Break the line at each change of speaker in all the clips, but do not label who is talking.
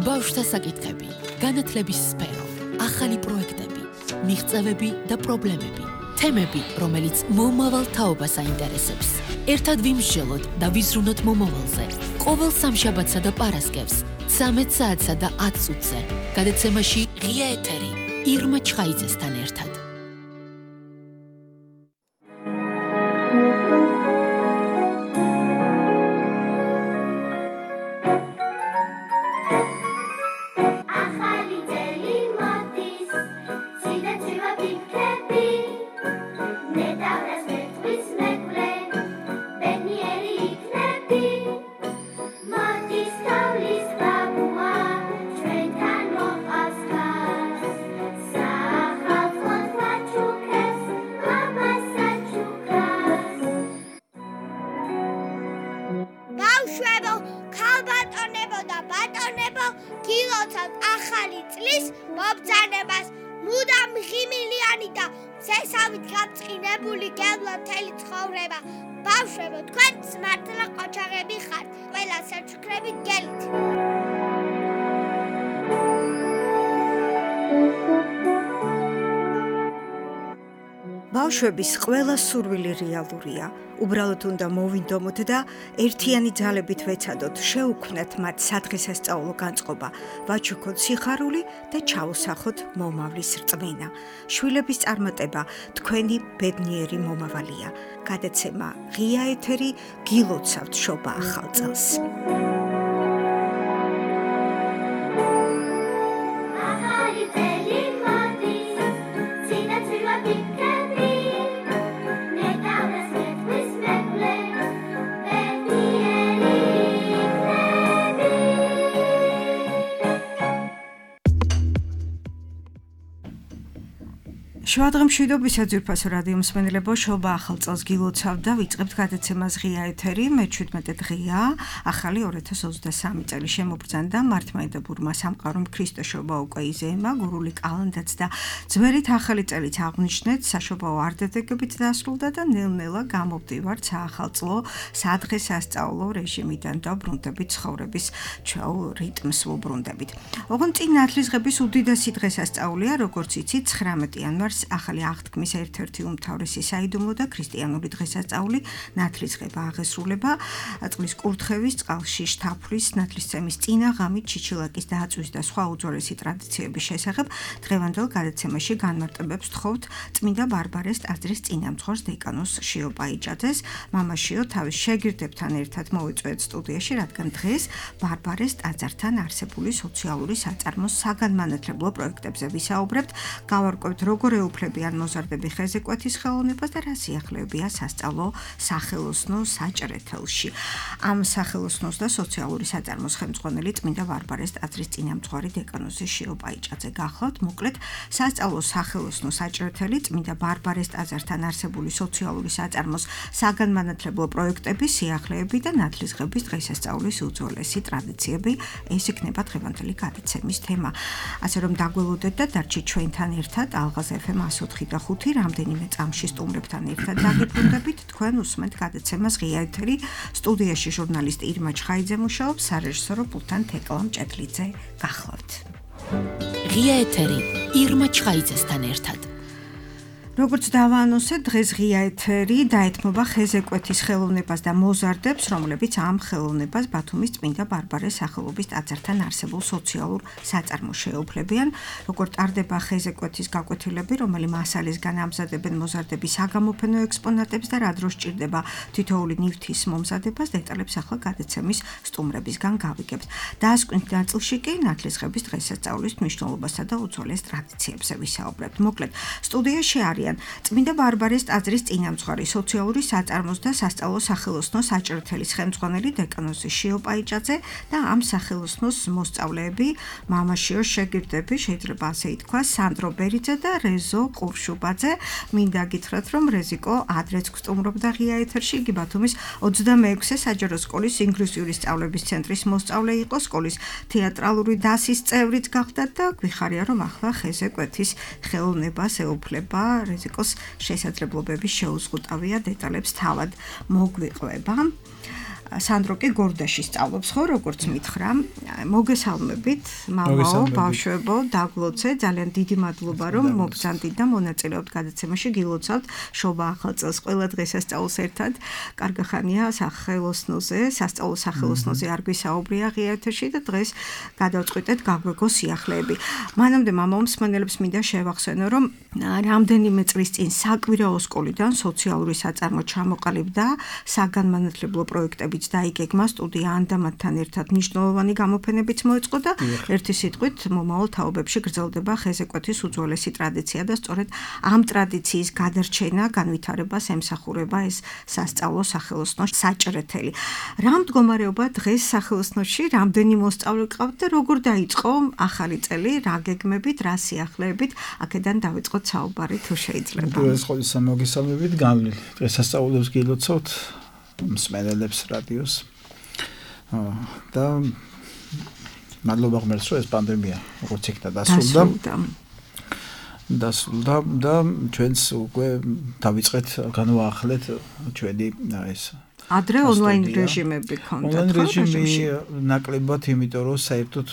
ბავშვთა საკითხები, განათლების სფერო, ახალი პროექტები, მიღწევები და პრობლემები, თემები, რომელიც მომავალ თაობას აინტერესებს. ერთად ვიმსჯელოთ და ვიზრუნოთ მომავალზე. ყოველ სამშაბათსა და პარასკევს, 13 საათსა და 10 წუთზე. გადაცემაში ღია ეთერი, ირმა ჩხაიძესთან ერთად.
ბავშვების ყველა სურვილი რეალურია. უბრალოდ უნდა მოვინდომოთ და ერთიანი ძალებით ვეცადოთ, შევუქმნათ მათ სადღესასწაულო განწყობა, ვაჩუქოთ სიხარული და ჩაუსახოთ მომავლის რწმენა. შვილების წარმატება თქვენი ბედნიერი მომავალია. გადაცემა ღია ეთერი, გილოცავთ შობა ახალ წელს. შუადღე მშვიდობისა ძვირფასო რადიო მსმენელებო, შობა ახალ წელს გილოცავთ და ვიწყებთ გადაცემას ღია ეთერი. მე-17 დღეა, ახალი 2023 წელი შემობრძანდა. მართლმადიდებლ ბურმა სამყარომ ქრისტეშობა უკვე იზეიმა, გურული კალენდაც და ძვერით ახალი წელიც აღნიშნეთ, საშობაო არდადეგებით დასრულდა და ნელ-ნელა გამოვდივართ საახალწლო სადღესასწაულო რეჟიმიდან და ბრუნდებით ცხოვრების ჩვეულ რიტმს ვუბრუნდებით. ოღონდ წინ ნათლისღების უდიდესი დღესასწაულია, როგორც იცით, 19 იანვარს ახალი აღთქმის ერთ-ერთი უმთავრესი საიდუმლო და ქრისტიანული დღესასწაული ნათლისღება აღესრულება. წყლის კურთხევის, წყალში შთაფვლის, ნათლისცემის წინა ღამით ჩიჩილაკის დაწვის და სხვა უძველესი ტრადიციების შესახებ დღევანდელ გადაცემაში განმარტებებს თხოვთ წმინდა ბარბარეს ტაძრის წინამძღვარს დეკანოს შიო პაიჭაძეს. მამა შიო თავის შეგირდებთან ერთად მოვიწვიეთ სტუდიაში, რადგან დღეს ბარბარეს ტაძართან არსებული სოციალური საწარმოს საგანმანათლებლო პროექტებზე ვისაუბრებთ. გავარკვევთ როგორ ეუფლებიან მოზარდები ხეზეკვეთის ხელოვნებას და რა სიახლეებია სასწავლო სახელოსნო საჭრეთელში. ამ სახელოსნოს და სოციალური საწარმოს ხელმძღვანელი წმინდა ბარბარეს ტაძრის წინამძღვარი დეკანოზი შიო პაიჭაძე გახლავთ. მოკლედ, სასწავლო სახელოსნო საჭრეთელი წმინდა ბარბარეს ტაძართან არსებული სოციალური საწარმოს საგანმანათლებლო პროექტები, სიახლეები და ნათლისღების დღესასწაულის უძველესი ტრადიციები, ეს იქნება დღევანდელი გადაცემის თემა. ასე რომ დაგველოდეთ და დარჩით ჩვენთან ერთად ალღაზ FM 104 და 5 რამდენიმე წამში სტუმრებთან ერთად დაგიბრუნდებით. თქვენ უსმენთ გადაცემას ღია ეთერი. სტუდიაში ჟურნალისტი ირმა ჩხაიძე მუშაობს, სარეჟისორო პულტთან თეკლა მჭედლიძე. გახლავთ.
ღია ეთერი, ირმა ჩხაიძესთან ერთად.
როგორც დავაანონსეთ, დღეს ღია ეთერი დაეთმობა ხეზეკვეთის ხელოვნებას და მოზარდებს, რომლებიც ამ ხელოვნებას ბათუმის წმინდა ბარბარეს სახელობის ტაძართან არსებულ სოციალურ საწარმოს შეეუფლებიან. როგორ ტარდება ხეზეკვეთის გაკვეთილები, რომელი მასალისგან ამზადებენ მოზარდების საგამოფენო ექსპონატებს და რა დროს სჭირდება თითოეული ნივთის მომზადებას, დეტალებს ახლა გადაცემის სტუმრებისგან გავიგებთ. დასკვნის ნაწილში კი ნათლისღების დღესასწაულის მნიშვნელობასა და უძველეს ტრადიციებზე ვისაუბრებთ. მოკლედ, სტუდიაში არის წმინდა ბარბარეს ტაძრის წინამძღვარი, სოციალური საწარმოს და სასწავლო სახელოსნო საჭრეთელის ხელმძღვანელი დეკანოზი შიო პაიჭაძე და ამ სახელოსნოს მოსწავლეები, მამა შიოს შეგირდები, შეიძლება ასე ითქვას, სანდრო ბერიძე და რეზო ყურშუბაძე. მინდა გითხრათ, რომ რეზიკო ადრეც გსტუმრობდა ღია ეთერში, იგი ბათუმის 26-ე საჯარო სკოლის ინგლისური სწავლების ცენტრის მოსწავლე იყო, სკოლის თეატრალური დასის წევრიც გახდა და გვიხარია, რომ ახლა ხეზეკვეთის ხელოვნებას ეუფლება. რეზიკოს შესაძლებლობების შეუზღუდავია, დეტალებს თავად მოგვიყვება. სანდრო კი გორდაში სწავლობს ხო როგორც მითხრა მოგესალმებით მამაო ბავშვებო დაგლოცე ძალიან დიდი მადლობა რომ მოგზანდით და მონაწილეობთ გადაცემაში გილოცავთ შობა ახალ წელს ყველა დღესასწაულს ერთად კარგახანია სახელოსნოზე სასწავლო სახელოსნოზე არ გვისაუბრია ღიერთში და დღეს გადავწყვიტეთ გაგვეგო სიახლეები მანამდე მამაო მსმენელებს მინდა შევახსენო რომ რამდენიმე წლის წინ საკვირაო სკოლიდან სოციალური საწარმო ჩამოყალიბდა საგანმანათლებლო პროექტებიც დაიგეგმა სტუდია ანდამათთან ერთად მნიშვნელოვანი გამოფენებიც მოეწყო და ერთი სიტყვით მომავალ თაობებში გრძელდება ხეზეკვეთის უძველესი ტრადიცია და სწორედ ამ ტრადიციის გადარჩენა განვითარებას ემსახურება ეს სასწავლო სახელოსნო საჭრეთელი. რა მდგომარეობა დღეს სახელოსნოში რამდენი მოსწავლე გყავთ და როგორ დაიწყო ახალი წელი რა გეგმებით რა სიახლეებით აქედან დავიწყოთ საუბარი თუ შეიძლება.
ეს ყოველისა მოგესალმებით განვლილი დღესასწაულებს გილოცავთ მსმენელებს რადიოს და მადლობა ღმერთს რომ ეს პანდემია როგორც იქნა დასრულდა და ჩვენს უკვე დავიწყეთ განვაახლეთ ჩვენი ეს
ადრე ონლაინ რეჟიმები ქონდათ
ონლაინ რეჟიმი ნაკლებად იმიტომ რომ საერთოდ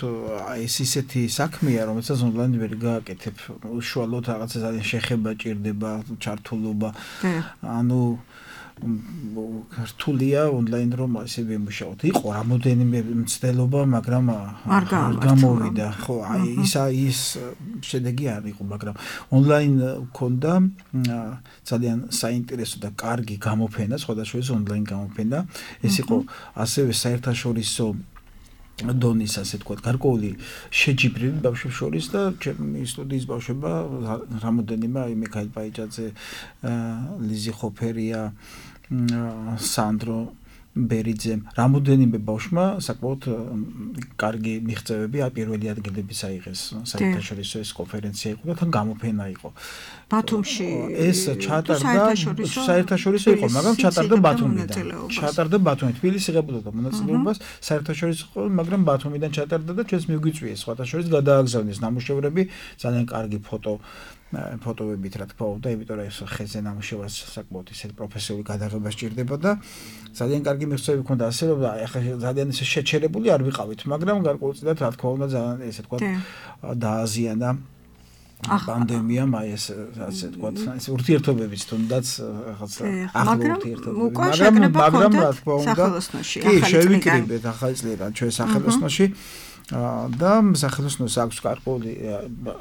ეს ისეთი საქმეა რომელსაც ონლაინ ვერ გააკეთებ უშუალოდ რაღაცა ძალიან შეხება ჭირდება ჩართულობა ანუ რთულია ონლაინ რომ ასე ვიმუშაოთ. იყო რამოდენიმე მცდელობა, მაგრამ არ გამოვიდა. ხო, ის შედეგი არ იყო, მაგრამ ონლაინ მქონდა ძალიან საინტერესო და კარგი გამოფენა, სხვადასხვა ონლაინ გამოფენა. ეს იყო ასევე საერთაშორისო დონის ასე თქვა გარკვეული შეჯიბრები ბავშვებს შორის და ჩემი სტუდიის ბავშვება რამოდენიმე აი მიქაილ პაიჭაძე ლიზი ხოფერია სანდრო ბერიძე რამოდენიმე ბავშვმა საკმაოდ კარგი მიღწევები პირველი ადგილების აიღეს საერთაშორისო ეს კონფერენცია იყო და თან გამოფენა იყო
ბათუმში
ეს ჩატარდა საერთაშორისო იყო მაგრამ ჩატარდა ბათუმიდან თბილისი ღებულობდა მონაწილეობას საერთაშორისო იყო მაგრამ ბათუმიდან ჩატარდა და ჩვენს მიგვიწვიეს სხვათა შორის გადააგზავნეს ნამუშევრები ძალიან კარგი ფოტოებით რა თქმა უნდა იმიტომ რომ ეს ხეზე ნამუშევარს საკმაოდ ისეთ პროფესიული გადაღება სჭირდება და ძალიან კარგი მიღწევები ჰქონდა ასე რომ ახლა ძალიან ისე შეჩერებული არ ვიყავით მაგრამ გარკვეულწილად რა თქმა უნდა ძალიან ესე თქვა დააზიანა პანდემიამ აი ეს ასე თქვა ეს ურთიერთობებიც თუნდაც რაღაცა ახლო ურთიერთობები მაგრამ რა თქმა უნდა კი შევიკრიბეთ ახალი წლიდან ჩვენ სახელოსნოში და სახელოსნოს აქვს გარკვეული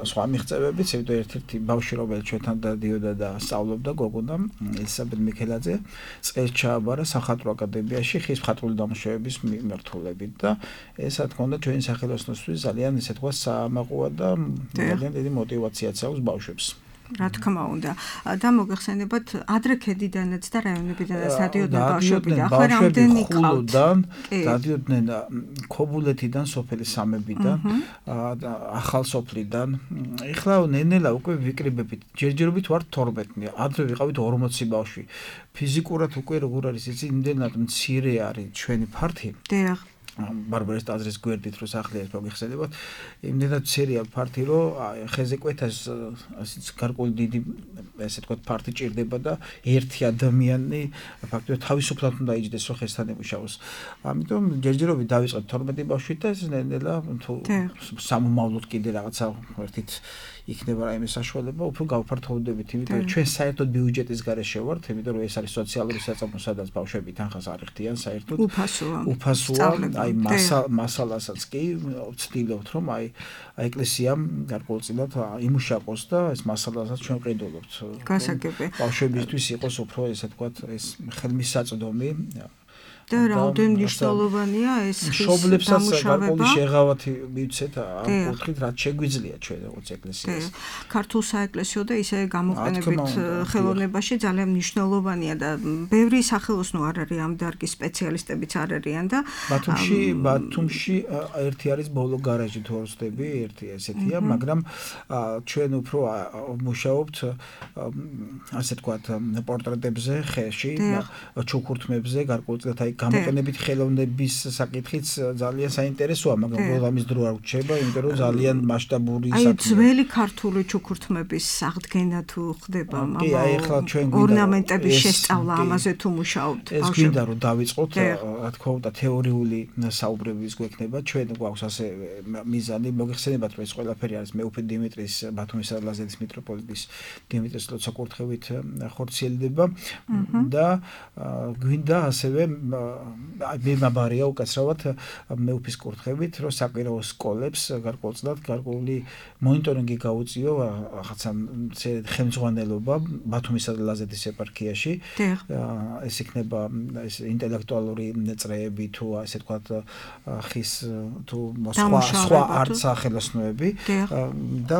სხვა მიღწევებიც, იმიტომ ერთ-ერთი ბავშვი რომელიც ჩვენთან დადიოდა და სწავლობდა გოგონა ელისაბედ მიქელაძე წელს ჩააბარა სახალხო აკადემიაში ხის მხატვრული დამუშავების მიმართულებით და ეს რა თქმა უნდა ჩვენი სახელოსნოსთვის ძალიან ესე თქვა საამაყოა და ძალიან დიდი мотиваციაც აქვს ბავშვებს.
რა თქმა უნდა და მოგეხსენებათ ადრე ქედიდანაც და რაიონებიდანაც დადიოდნენ ბავშვები და ახლა რამდენი ყავთ
დადიოდნენ ქობულეთიდან სოფელი სამებიდან ახალ სოფლიდან ეხლა ნენელა უკვე ვიკრიბებით ჯერჯერობით ვართ 12 ადრე ვიყავით 40 ბავშვი ფიზიკურად უკვე როგორ არის იცი იმდენად მცირე არის ჩვენი ფართი
დიახ
ბარბარეს ტაძრის გვერდით რო სახლი ეს მოგიხსენებათ იმდენად მცირეა ფართი რომ ხეზე კვეთას ასეც გარკვეული დიდი ესე თქვა ფართი ჭირდება და ერთი ადამიანი ფაქტობრივად თავისუფლად უნდა იჯდეს რომ ხესთან ემუშაოს ამიტომ ჯერჯერობით დავიწყეთ 12 ბავშვით და ეს ნელა თუ სამომავლოდ კიდე რაღაცა ერთით იქნება რაიმე საშუალება უფრო გავფართოვდებით იმიტომ ჩვენ საერთოდ ბიუჯეტის გარეშე ვართ იმიტომ რომ ეს არის სოციალური საწარმო სადაც ბავშვები თანხას არ იხდიან საერთოდ უფასოა აი მასალასაც კი ვცდილობთ რომ აი ეკლესიამ გარკვეულწილად იმუშაოს და ეს მასალასაც ჩვენ ყიდულობთ
გასაგები
ბავშვებისთვის იყოს უფრო ესე თქვა ეს ხელმისაწვდომი
და რაოდენ მნიშვნელოვანია ეს
მშობლებსაც გარკვეული შეღავათი მივცეთ ამ კუთხით რაც შეგვიძლია ჩვენ როგორც ეკლესიას
ქართულ საეკლესიო და ისე გამოყენებით ხელოვნებაში ძალიან მნიშვნელოვანია და ბევრი სახელოსნო არ არის ამ დარგის სპეციალისტებიც არ არიან და
ბათუმში ერთი არის ბოლო გარაჟი თუ არ ვცდები ერთი ესეთია მაგრამ ჩვენ უფრო მუშაობთ ასე თქვათ პორტრეტებზე ხეში ჩუქურთმებზე გარკვეულწილად აი გამოყენებით ხელოვნების საკითხიც ძალიან საინტერესოა, მაგრამ პროგრამის დრო არ გრჩება, იმიტომ რომ ძალიან მასშტაბური
საქმეა. აი ძველი ქართული ჩუქურთმების აღდგენა თუ ხდება,
კი, აი ახლა ჩვენ
ორნამენტების შესწავლა ამაზე თუ მუშაობთ
ბავშვები. ეს გვინდა რომ დავიწყოთ, რა თქმა უნდა, თეორიული საუბრების გვექნება, ჩვენ გვაქვს ასე მიზანი, მოგეხსენებათ რომ ეს ყველაფერი არის მეუფე დიმიტრის ბათუმისა და ლაზეთის მიტროპოლიტის დიმიტრის ლოცვა-კურთხევით ხორციელდება და გვინდა ასევე მიმაბარია უკაცრავად მეუფის კურთხევით, რომ საკვირაო სკოლებს გარკვეულწილად გარკვეული მონიტორინგი გაუწიო რაღაცა ხელმძღვანელობა ბათუმისა და ლაზეთის ეპარქიაში. ეს იქნება ეს ინტელექტუალური წრეები თუ ასე ვთქვათ ხის თუ სხვა არცახელოსნოები და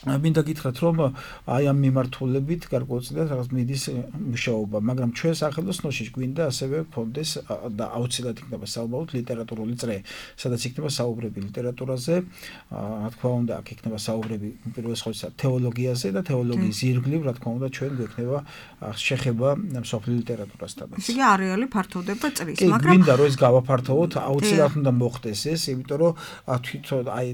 მინდა გითხრათ რომ აი ამ მიმართულებით გარკვეულწილად რაღაც მიდის მუშაობა, მაგრამ ჩვენ სახელოსნოში გვინდა ასევე გქონდეს და აუცილებლად იქნება საუბაროთ ლიტერატურული წრე, სადაც იქნება საუბრები ლიტერატურაზე, რა თქმა უნდა, აქ იქნება საუბრები პირველ რიგში თეოლოგიაზე და თეოლოგიის ირგვლივ, რა თქმა უნდა, ჩვენ გვექნება შეხება მსოფლიო ლიტერატურასთან.
ესე იგი არეალი ფართოვდება წრის,
მაგრამ გვინდა რომ ეს გავაფართოვოთ, აუცილებლად უნდა მოხდეს ეს, იმიტომ რომ თვითონ აი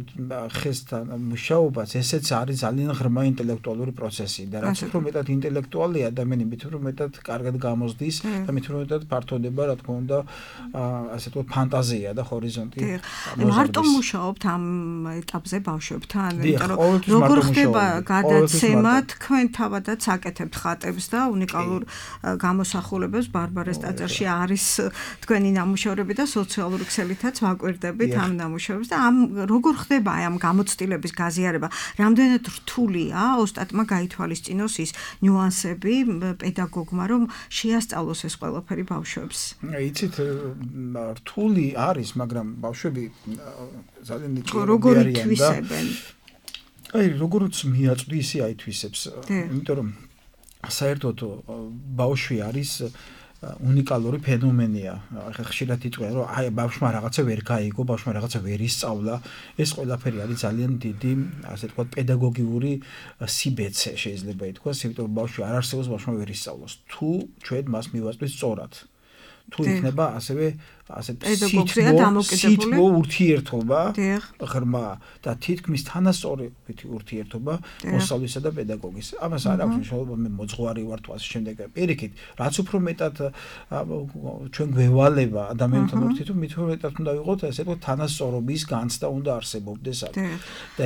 ხესთან მუშაობაც ესეც არის ძალიან ღრმა ინტელექტუალური პროცესი და რაც უფრო მეტად ინტელექტუალი ადამიანი მით უფრო მეტად კარგად გამოზდის და მით უფრო მეტად ფართოვდება, რა თქმა უნდა, ასე ვთქვათ, ფანტაზია და ჰორიზონტი.
მარტო მუშაობთ ამ ეტაპზე ბავშვებთან, იმიტომ რომ როგორ ხდება გადაცემა, თქვენ თავადაც აკეთებთ ხატებს და უნიკალურ გამოსახულებებს ბარბარეს ტაძარში არის თქვენი ნამუშევრები და სოციალური ქსელითაც ვაკვირდებით ამ ნამუშევრებს და ამ როგორ ხდება აი ამ გამოცდილების გაზიარება, რამდენად რთულია ოსტატმა გაითვალისწინოს ის ნიუანსები პედაგოგმა, რომ შეასწავლოს ეს ყველაფერი ბავშვებს.
იცით, რთული არის, მაგრამ ბავშვები ძალიან
როგორ ითვისებენ?
აი, როგორც მიაწვდი, ისე აითვისებს. იმიტომ რომ საერთოდ ბავშვი არის უნიკალური ფენომენია. ხშირად იტყვიან, რომ აი ბავშვმა რაღაცა ვერ გაიგო, ბავშვმა რაღაცა ვერ ისწავლა. ეს ყველაფერი არის ძალიან დიდი, ასე ვთქვათ, პედაგოგიური სიბეცე შეიძლება ითქვას, იმიტომ რომ ბავშვი არ არსებობს, ბავშვმა ვერ ისწავლოს. თუ ჩვენ მას მივაწვით სწორად. თუ იქნება ასევე სითბო ურთიერთობა ღრმა და თითქმის თანასწორი ურთიერთობა მოსწავლისა და პედაგოგის. ამას არ აქვს მნიშვნელობა მე მოძღვარი ვარ თუ ასე შემდეგ. პირიქით, რაც უფრო მეტად ჩვენ გვევალება ადამიანთან ურთიერთობა, მით უფრო მეტად უნდა ვიყოთ ასე ვთქვათ თანასწორობის განცდა უნდა არსებობდეს აქ. და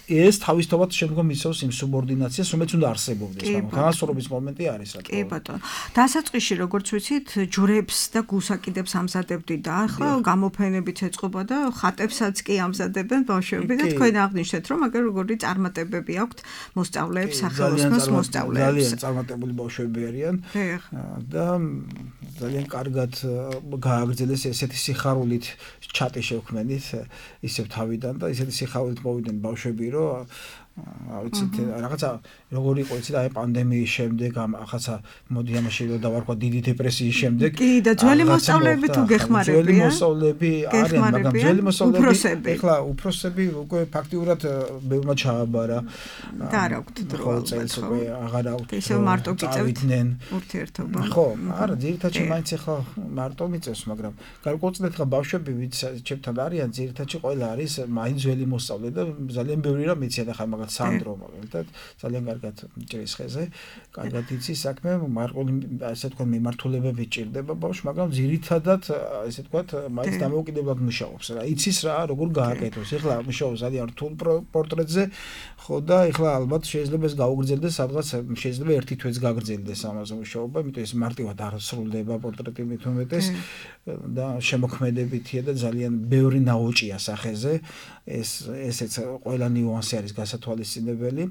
ეს თავისთავად შემდგომ იწვევს იმ სუბორდინაციას, რომელიც უნდა არსებობდეს. თანასწორობის მომენტი არის რა.
კი ბატონო. დასაწყისში როგორც ვიცით, ჯვრებს და გუსაკიდებს ამზადებდი და ახლა გამოფენებით ეწყობა და ხატებსაც კი ამზადებენ ბავშვები და თქვენ აღნიშნეთ, რომ აგერ როგორი წარმატებები აქვთ მოსწავლეებს, სახელოსნოს მოსწავლეებს.
ძალიან წარმატებული ბავშვები არიან და ძალიან კარგად გააგრძელეს ესეთი სიხარულით ჩატი შევქმნით ისევ თავიდან და ესეთი სიხარულით მოვიდნენ ბავშვები, რომ ვიცით რაღაცა როგორ იყო იცით აი პანდემიის შემდეგ რაღაცა მოდი ამაში რომ დავარქვა დიდი დეპრესიის შემდეგ
კი და ძველი მოსწავლეები თუ გეხმარებიან
ძველი მოსწავლეები არიან მაგრამ ძველი მოსწავლეები ეხლა უფროსები უკვე ფაქტიურად ბევრმა ჩააბარა
და არ აქვთ დრო
წელს უკვე აღარ აქვთ
ისევ მარტო გიწევთ ურთიერთობა
ხო არა ძირითადად მაინც ეხლა მარტო მიწევს მაგრამ გარკვეულწილად ხა ბავშვები ვიც ჩემთან არიან ძირითადად ყველა არის მაინც ძველი მოსწავლე და ძალიან ბევრი რამ იციან ახლა სანდრო მაგალითად ძალიან კარგად ჭრის ხეზე, კარგად იცის საქმე, მარყული ასე თქვა მიმართულებები ჭირდება ბავშვს, მაგრამ ძირითადად ასე თქვა მაინც დამოუკიდებლად მუშაობს რა. იცის რა, როგორ გააკეთოს. ეხლა მუშაობს ძალიან რთულ პორტრეტზე, ხო და ეხლა ალბათ შეიძლება ეს გაუგრძელდეს სადღაც შეიძლება ერთი თვეც გაგრძელდეს ამაზე მუშაობა, იმიტომ ეს მარტივად არ სრულდება პორტრეტი მით უმეტეს და შემოქმედებითია და ძალიან ბევრი ნაოჭია სახეზე. ესეც ყველა ნიუანსი არის გასათვალისწინებელი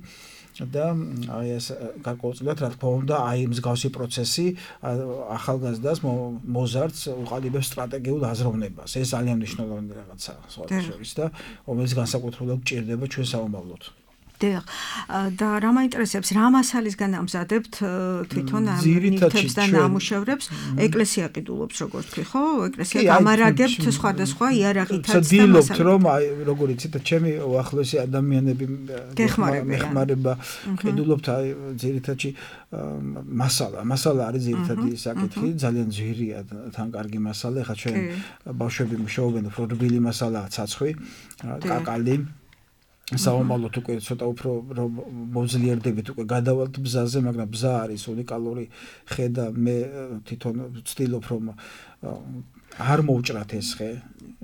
და აი ეს გარკვეულწილად რა თქმა უნდა აი მსგავსი პროცესი ახალგაზრდას მოზარდს უყალიბებს სტრატეგიულ აზროვნებას. ეს ძალიან მნიშვნელოვანი რაღაცაა სხვათა შორის და რომელიც განსაკუთრებულად გჭირდება ჩვენ საომავლოდ.
დიახ. და რა მაინტერესებს, რა მასალისგან ამზადებთ თვითონ ამ ნივთებს და ნამუშევრებს? ეკლესია ყიდულობს, როგორც თქვი, ხო? ეკლესია გამარაგებთ სხვადასხვა იარაღითაც და
ცდილობთ, რომ როგორ იცით, ჩემი უახლოესი ადამიანები მეხმარება ყიდულობთ ძირითადში მასალა არის ძირითადი საკითხი, ძალიან ძვირია თან კარგი მასალა, ხა ჩვენ ბავშვები მუშაობენ, უფრო რბილი მასალაა ცაცხვი, კაკალი საომალოთ უკვე ცოტა უფრო მოვძლიერდებით უკვე გადავალთ ბზაზე, მაგრამ ბზა არის უნიკალური ხე და მე თვითონ ვცდილობ რომ არ მოვჭრათ ეს ხე,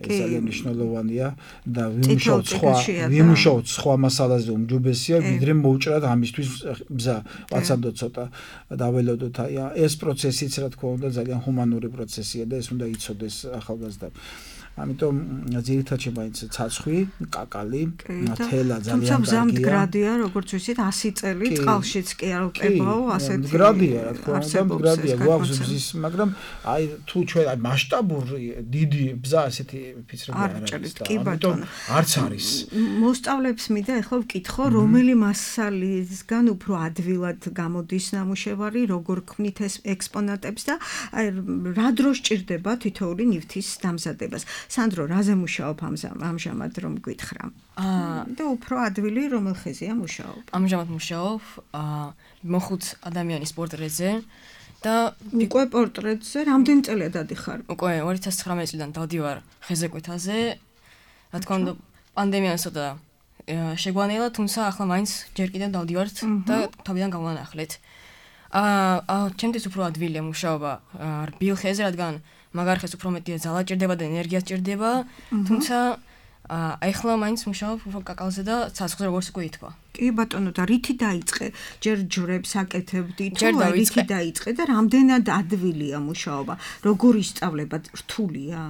ეს ძალიან მნიშვნელოვანია და ვიმუშაოთ სხვა მასალაზე უმჯობესია, ვიდრე მოვჭრათ ამისთვის ბზა, ვაცადოთ ცოტა დაველოდოთ, აი ეს პროცესიც რა თქმა უნდა ძალიან ჰუმანური პროცესია და ეს უნდა იცოდეს ახალგაზრდა. ამიტომ ძირითადად მაინც ცაცხვი, კაკალი, თელა ძალიან
კარგია. თუმცა მდგრადია, როგორც ვიცით, 100 წელი წყალშიც კი არ უკებაო, ასეთი.
მდგრადია, რა თქმა უნდა, მდგრადია, გვაქვს ბზის, მაგრამ აი თუ ჩვენ აი მასშტაბური დიდი ბზა ასეთი ფიცრები არ არის და ამიტომ არც არის.
მოსწავლეებს მინდა ახლა ვკითხო, რომელი მასალისგან უფრო ადვილად გამოდის ნამუშევარი, როგორ ქმნით ეს ექსპონატებს და აი რა დროს ჭირდება თითოეული ნივთის დამზადებას. სანდრო, რაზე მუშაობ ამჟამად რომ გითხრა? და უფრო ადვილი რომელ ხეზეა მუშაობ?
ამჟამად მუშაობ მოხუც ადამიანის პორტრეტზე და
უკვე პორტრეტზე რამდენი წელია დადიხარ?
უკვე 2019 წლიდან დავდივარ ხეზეკვეთაზე. რა თქმა უნდა, პანდემია ცოტა შეგვანელა, თუმცა ახლა მაინც ჯერ კიდევ დავდივართ და თავიდან გავანახლეთ. ჩემთვის უფრო ადვილია მუშაობა რბილ ხეზე, რადგან მაგარ ხეს უფრო მეტია ძალა ჭირდება და ენერგია ჭირდება, თუმცა ახლა მაინც მუშაობ უფრო კაკალზე და ცაცხვზე როგორც უკვე ითქვა.
კი ბატონო, და რითი დაიწყე? ჯერ ჯვრებს აკეთებდი თუ რითი დაიწყე და რამდენად ადვილია მუშაობა? როგორ ისწავლება? რთულია?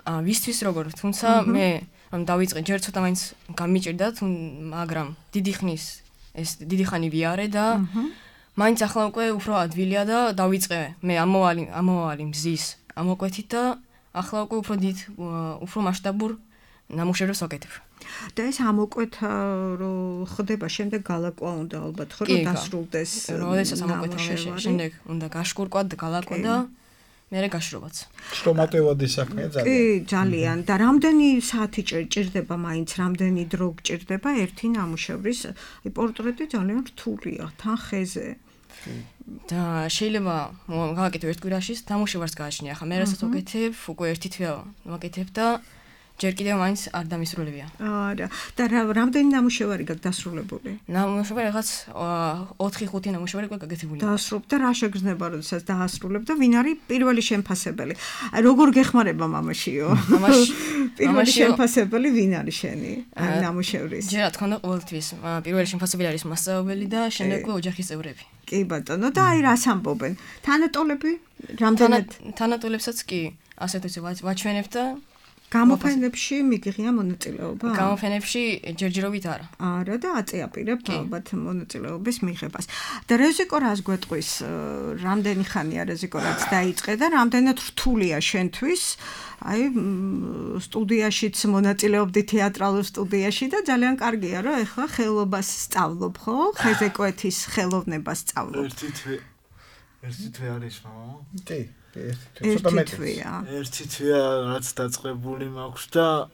ვისთვის როგორ, თუმცა მე დავიწყე ჯერ ცოტა მაინც გამიჭირდა, მაგრამ დიდი ხანი ვიარე და მაინც ახლა უკვე უფრო ადვილია და დავიწყე მე ამოვალი მზის ამოკვეთით და ახლა უკვე უფრო მასშტაბურ ნამუშევრებს ვაკეთებ.
და ეს ამოკვეთა რო ხდება შემდეგ გალაკვა უნდა ალბათ ხო რომ დასრულდეს
როდესაც ამოკვეთა შემდეგ უნდა გაშკურკვა და გალაკვა და მერე გაშრობაც.
სტომატევადი საქმეა ძალიან.
კი, ძალიან. და რამდენი საათი ჭირდება მაინც, რამდენი დრო გჭირდება ერთი ნამუშევრის? აი პორტრეტი ძალიან რთულია, თან ხეზე.
და შეიძლება გავაკეთო ერთ კვირაში ნამუშევარს გააჩნია. ახლა მე რასაც ვაკეთებ, უკვე ერთი თვეა ვაკეთებ და ჯერ კიდევ მაინც არ დამისრულებია.
არა. და რამდენი ნამუშევარი გაქვს დასრულებული?
ნამუშევარი რაღაც 4-5 ნამუშევარი უკვე გაკეთებულია.
დაასრულებ და რა შეგრძნება, როდესაც დაასრულებ და ვინ არის პირველი შემფასებელი? აი როგორ გეხმარება მამაშიო? პირველი შემფასებელი ვინ არის შენი ნამუშევრის?
ჯერ რა თქმა უნდა ყოველთვის პირველი შემფასებელი არის მასწავლებელი და შემდეგ უკვე ოჯახის წევრები.
კი ბატონო, და აი რას ამბობენ? თანატოლები? რამდენად?
თანატოლებსაც კი ასეთ ისე ვაჩვენებ და
გამოფენებში მიგიღია მონაწილეობა?
გამოფენებში ჯერჯერობით არა.
არა და აწეაპირებ ალბათ მონაწილეობის მიღებას. და რეზიკო რას გვეტყვის? რამდენი ხანია რეზიკო რაც დაიწყე და რამდენად რთულია შენთვის? აი სტუდიაშიც მონაწილეობდი თეატრალურ სტუდიაში და ძალიან კარგია რომ ეხლა ხელობას სწავლობ, ხო? ხეზეკვეთის ხელოვნებას სწავლობ.
ერთი თვე არის მამა?
კი.
ერთი თვეა რაც დაწყებული მაქვს და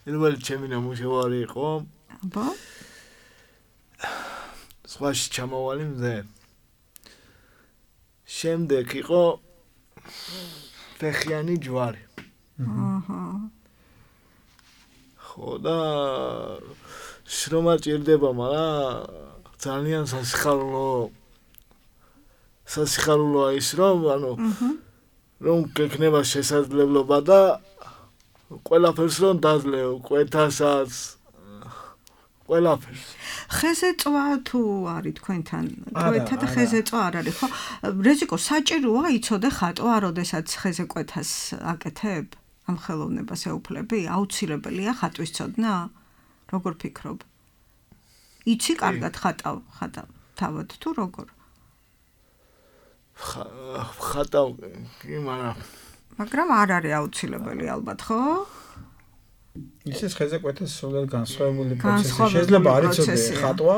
პირველი ჩემი ნამუშევარი იყო.
აბა?
სხვაში ჩამოვალი მზე. შემდეგ იყო ფეხიანი ჯვარი.
აჰა.
ხო და შრომა ჭირდება, მაგრამ ძალიან სასიხარულოა ის რომ რომ გექნება შესაძლებლობა და ყველაფერს რომ დაძლევ, კვეთასაც ყველაფერს.
ხეზეწვა თუ არის თქვენთან? კვეთა და ხეზეწვა არ არის, ხო? რეზიკო საჭიროა იცოდე ხატვა, როდესაც ხეზეკვეთას აკეთებ? ამ ხელოვნებას ეუფლები? აუცილებელია ხატვის ცოდნა? როგორ ფიქრობ? იცი კარგად ხატავ თუ როგორ?
ხატავ კი, მაგრამ
არ არის აუცილებელი ალბათ, ხო?
ისე ხეზე კვეთის სულად განსხვავებული პროცესი შეიძლება არ იცოდე ხატვა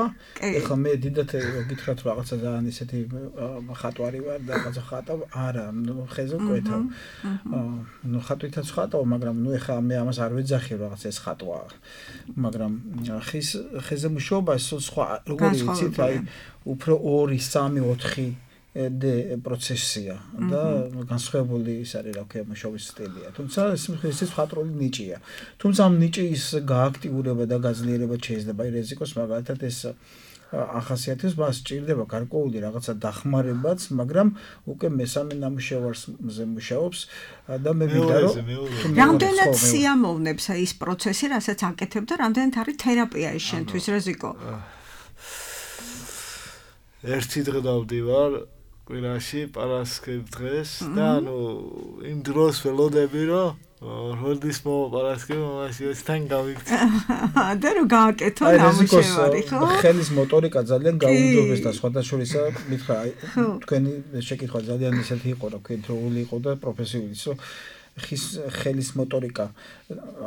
ეხლა მე დიდათ გითხრათ რაღაცა ძალიან ისეთი ხატვარი ვარ და რაღაცა ხატავ არა ხეზე კვეთავ ნუ ხატვითაც ხატავ მაგრამ ნუ ეხლა მე ამას არ ვეძახი რაღაც ეს ხატვა მაგრამ ხეზე მუშაობა სხვა როგორი იცით აი უფრო 2 3 4 პროცესია და განსხვავებული ის არის რა ქვია მუშაობის სტილია. თუმცა ეს მხატვრული ნიჭია. თუმცა ამ ნიჭის გააქტიურება და გაძლიერება შეიძლება აი რეზიკოს მაგალითად ეს ახასიათებს მას სჭირდება გარკვეული რაღაცა დახმარებაც, მაგრამ უკვე მესამე ნამუშევარზე მუშაობს და მე მინდა რომ
რამდენად სიამოვნებს ის პროცესი, რასაც აკეთებ და რამდენად არის თერაპია ის შენთვის რეზიკო?
ერთი დღე დავდივარ კვირაში პარასკევ დღეს და ანუ იმ დროს ველოდები რომ როდის მოვაპარასკევ მაშინ თან გავიქცე
და რო გააკეთო ნამუშევარი ხო
ხელის მოტორიკა ძალიან გაუმჯობეს და სხვათა შორისა მითხრა აი თქვენი შეკითხვა ძალიან ისეთი იყო რა კენტროლი იყო და პროფესიული ისო ხელის მოტორიკა